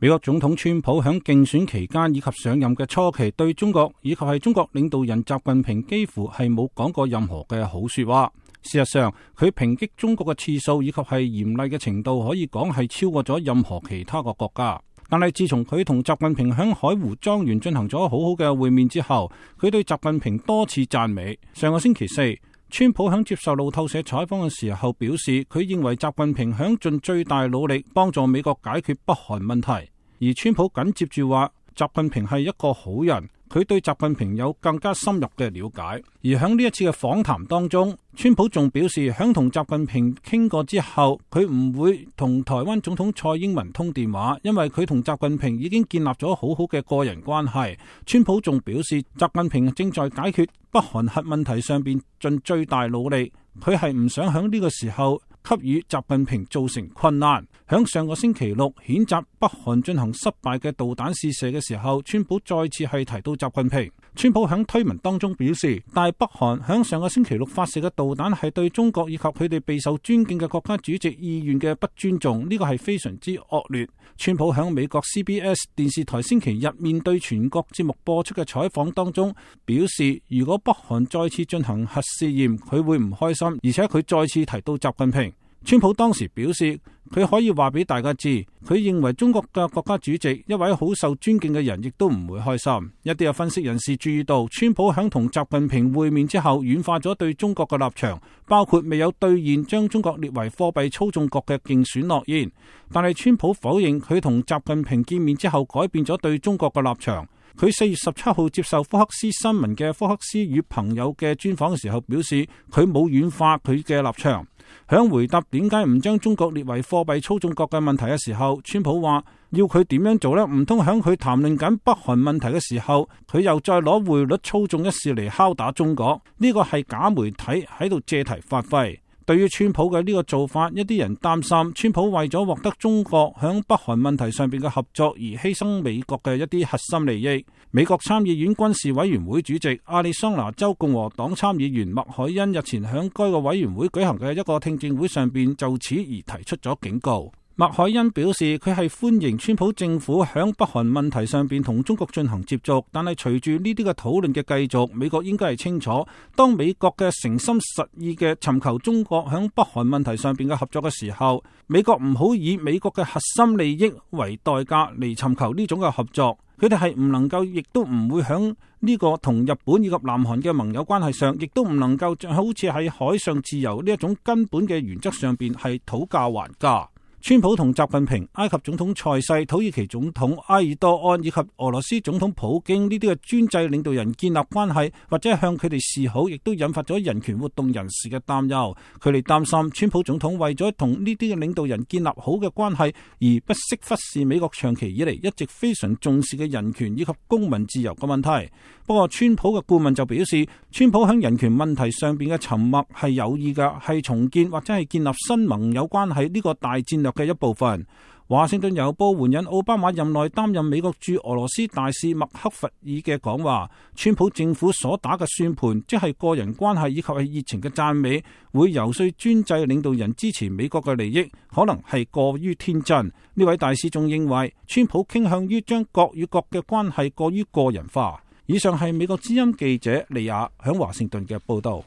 美國總統川普喺競選期間以及上任嘅初期，對中國以及係中國領導人習近平幾乎係冇講過任何嘅好說話。事實上，佢抨擊中國嘅次數以及係嚴厲嘅程度，可以講係超過咗任何其他個國家。但係自從佢同習近平喺海湖莊園進行咗好好嘅會面之後，佢對習近平多次讚美。上個星期四，川普喺接受路透社採訪嘅時候表示，佢認為習近平響盡最大努力幫助美國解決北韓問題。而川普緊接住話，習近平係一個好人，佢對習近平有更加深入嘅了解。而喺呢一次嘅訪談當中，川普仲表示，響同習近平傾過之後，佢唔會同台灣總統蔡英文通電話，因為佢同習近平已經建立咗好好嘅個人關係。川普仲表示，習近平正在解決北韓核問題上邊盡最大努力，佢係唔想響呢個時候給予習近平造成困難。響上個星期六譴責北韓進行失敗嘅導彈試射嘅時候，川普再次係提到習近平。川普響推文當中表示，大北韓響上個星期六發射嘅導彈係對中國以及佢哋備受尊敬嘅國家主席意願嘅不尊重，呢個係非常之惡劣。川普響美國 CBS 電視台星期日面對全國節目播出嘅採訪當中表示，如果北韓再次進行核試驗，佢會唔開心，而且佢再次提到習近平。川普當時表示，佢可以話俾大家知，佢認為中國嘅國家主席一位好受尊敬嘅人，亦都唔會開心。一啲嘅分析人士注意到，川普響同習近平會面之後，軟化咗對中國嘅立場，包括未有兌現將中國列為貨幣操縱國嘅競選諾言。但係川普否認佢同習近平見面之後改變咗對中國嘅立場。佢4月17號接受福克斯新聞嘅福克斯與朋友嘅專訪嘅時候表示，佢冇軟化佢嘅立場。響回答點解唔將中國列為貨幣操縱國嘅問題嘅時候，川普話要佢點樣做呢？唔通響佢談論緊北韓問題嘅時候，佢又再攞匯率操縱一事嚟敲打中國？呢個係假媒體喺度借題發揮。對於川普嘅呢個做法，一啲人擔心川普為咗獲得中國響北韓問題上邊嘅合作而犧牲美國嘅一啲核心利益。美國參議院軍事委員會主席亞利桑那州共和黨參議員麥凱恩日前響該個委員會舉行嘅一個聽證會上邊就此而提出咗警告。麥凱恩表示，佢係歡迎川普政府響北韓問題上邊同中國進行接觸，但係隨住呢啲嘅討論嘅繼續，美國應該係清楚，當美國嘅誠心實意嘅尋求中國響北韓問題上邊嘅合作嘅時候，美國唔好以美國嘅核心利益為代價嚟尋求呢種嘅合作。佢哋係唔能夠，亦都唔會響呢個同日本以及南韓嘅盟友關係上，亦都唔能夠好似喺海上自由呢一種根本嘅原則上邊係討價還價。川普同習近平、埃及總統塞西、土耳其總統埃爾多安以及俄羅斯總統普京呢啲嘅專制領導人建立關係，或者向佢哋示好，亦都引發咗人權活動人士嘅擔憂。佢哋擔心川普總統為咗同呢啲嘅領導人建立好嘅關係，而不惜忽視美國長期以嚟一直非常重視嘅人權以及公民自由嘅問題。不過川普嘅顧問就表示，川普喺人權問題上邊嘅沉默係有意嘅，係重建或者係建立新盟友關係呢個大戰略嘅一部分。華盛頓郵報援引奧巴馬任內擔任美國駐俄羅斯大使麥克弗爾嘅講話，川普政府所打嘅算盤，即係個人關係以及係熱情嘅讚美，會游說專制領導人支持美國嘅利益，可能係過於天真。呢位大使仲認為，川普傾向於將國與國嘅關係過於個人化。以上係美國之音記者利亞響華盛頓嘅報道。